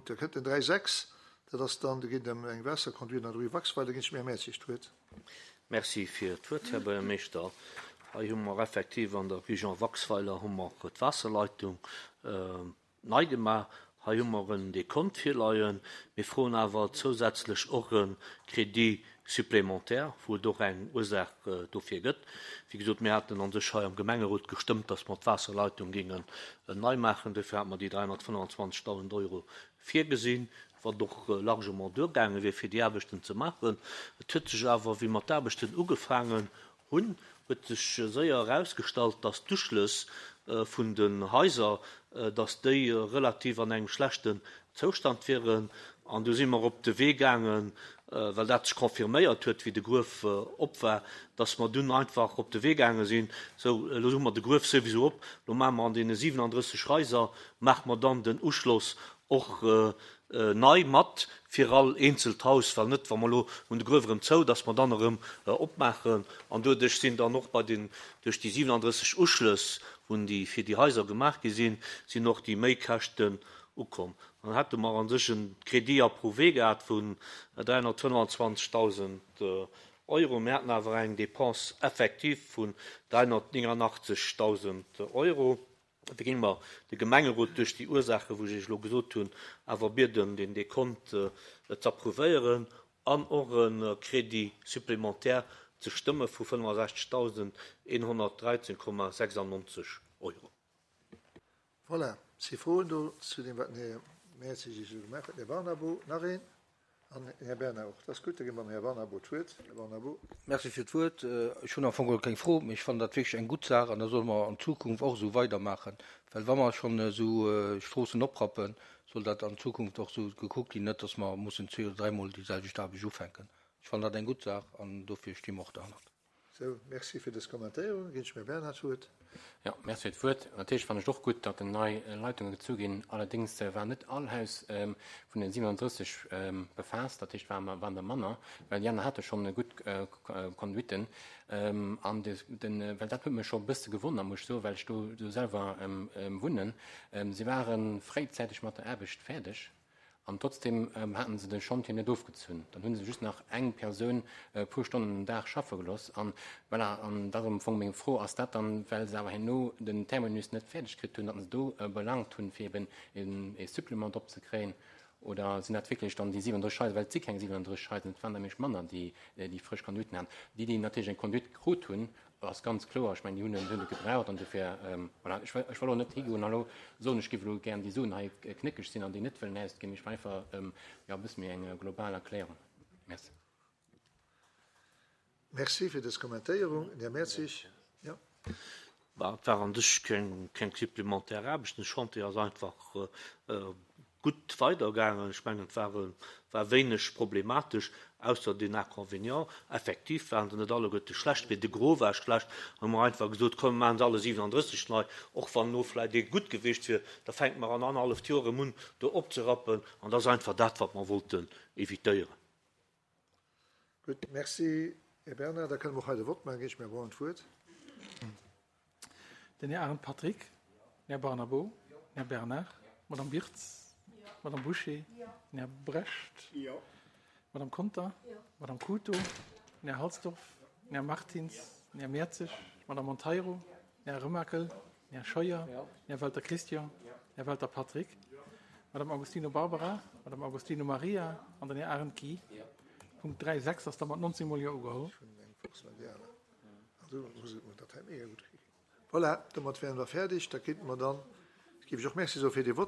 Da kënnt den 3, 6, dat ass dann, do geet et ëm eng Waasserconduite an der Rue Waxweiler. Da ginn ech dem Här Mertzig d'Wuert. Merci fir d'Wuert, Här Buergermeeschter. Hei hu mer effektiv an der Rue Jean Waxweiler hu mer d'Waasserleitung nei gemaach. Hei hu mer en Dekont virleien. Mir froen awer zousätzlech och e Crédit supplémentaire, wou et och eng Ursaach dofir gëtt. Wéi gesot, mir haten a sech hei am Gemengerot gestëmmt, dass mer d'Waasserleitung géingen nei maachen. Dofir hate mer déi 325.000 Euro virgesinn, wat och largement duergaange wier, fir déi Aarbechten ze maachen. Et huet sech awer, wéi mer d'Aarbechten ugefaangen hunn, huet sech séier erausgestallt, dass d'Uschlëss vun den Haiser, dass déi relativ an engem schlechten Zoustand wieren. An du si mer op de Wee gaangen, well dat sech confirméiert huet, wéi de Gruef op war, dass mer dunn einfach op de Wee gaange sinn, sou, elo hu mer de Gruef souwisou op, elo maache mer an deene 37 Haiser, maache mer dann den Uschloss och nei mat fir all eenzelt Haus, well net, wa mer elo hunn de Gruef erëm zou, dass mer dann erëm opmaachen. An doduerch sinn dann och bei den, duerch déi 37 Uschlëss, wou déi fir déi Haiser gemaach gi sinn, sinn och déi Méikäschten ukomm. Dann hätte mer a sech e Crédit approuvé gehat vun 325.000 Euro. Mir haten awer eng Dépense effective vun 389.000 Euro. Da géinge mer de Gemengerot duerch déi Ursaachen, wou ech Iech elo gesot hunn, awer bieden, deen Dekont ze approuvéieren an och e Crédit supplémentaire ze stëmme vu 65.113,96 Euro. Voilà, si Froen do zu deem, wat den Här Mertzig Iech elo gemaach huet? Den Här Barnabo, nach een? An den Här Bernard och. Dat ass gutt, da gi mer dem Här Barnabo d'Wuert. Här Barnabo. Merci fir d'Wuert. Ech hunn am Fong geholl keng Fro, mee ech fannen dat wierklech eng gutt Saach an da solle mer an Zukunft och esou weidermaachen, well wa mer schonn esou Stroossen oprappen, soll dat an Zukunft och esou gekuckt ginn, net datt mer mussen zwee oder dräimol déi selwecht Aarbecht ufänken. Ech fannen dat eng gutt Saach an dofir sti mer och derhannert. Sou, merci fir dës Kommentéierung. Ginn ech dem Här Bernhard d'Wuert. Jo, merci fir d'Wuert. Natierlech fannen ech et och gutt, datt nei Leitunge gezu ginn. Allerdéngs war net all Haus vun den 37 befaasst. Dat heescht, waren waren der manner, well déi aner hate schonn gutt Conduiten. An de, den, well dat huet mech scho e bësse gewonnert, muss ech soen, well ech do do selwer wunnen. Si ware fréizäiteg mat der Aarbecht fäerdeg. An trotzdem haten se de Schantje net ofgezunn. Dann hu se just nach eng Persoun e puer Stonnen den Dag schaffe gelooss. An voilà, an dat ass am Fong meng Fro, Ass dat dann, well se awer herno den Terminus net fäerdeg kritt hunn, datt se do belaangt hunn, fir eben e Supplément drop ze kréien? Oder sinn dat wierklech dann déi 37 Haiser, well et si keng 37 Haiser, et waren der nämlech manner, déi déi frësch Conduiten haten. Déi, déi natierlech eng Conduite krut hunn, Ass ganz kloer, ech mengen, déi hunn en, hunn et gebraucht an dofir, voilà, ech wëll, ech wëll och net higoen a lo soen, ech géif elo gären déi Suen hei knéckeg sinn an déi net wëllen ausginn. Ech wëll einfach, jo, e bësse méi eng global Erklärung. Merci. Merci fir dës Kommentéierung. Den Här Mertzig, jo. Bah, et war an sech keng, keng supplémentaire Aarbecht. Den Chantier ass einfach gutt weidergaangen. Ech mengen, et war, war wéineg problematesch, ausser deen Inconvénient, effektiv waren se net alleguerte schlecht, mee de Gros war schlecht. Hu mer einfach gesot, komm, mir maachen se alle 37 nei, och wann elo vläicht ee gutt gewiescht wier, da fänke mer an annerhalleft Joer erëm un, do opzerappen. An dat ass einfach dat, wat mer wollten évitéieren. Gutt, merci, Här Bernard. Da kënne mer och hei de Vott maachen. Ginn ech dem Här Braun d'Wuert. Den Här Arendt Patrick, den Här Barnabo, den Här Bernard, d'Madame Wirtz, d'Madame Bouché, den Här Brecht, d'Madame Conter, d'Madame Couto, den Här Halsdorf, den Här Martins, den Här Mertzig, d'Madame Monteiro, den Här Remakel, den Här Scheuer, den Här Welter Christian, den Här Welter Patrick, d'Madame Agostino Barbara, d'Madame Agostino Maria an den Här Arendt Guy. Punkt 3, 6 ass da mat 19 mol Jo ugeholl. Voilà, domat wären mer fäerdeg. Da kéinte mer dann, géif ech och Merci soe fir dee Vott.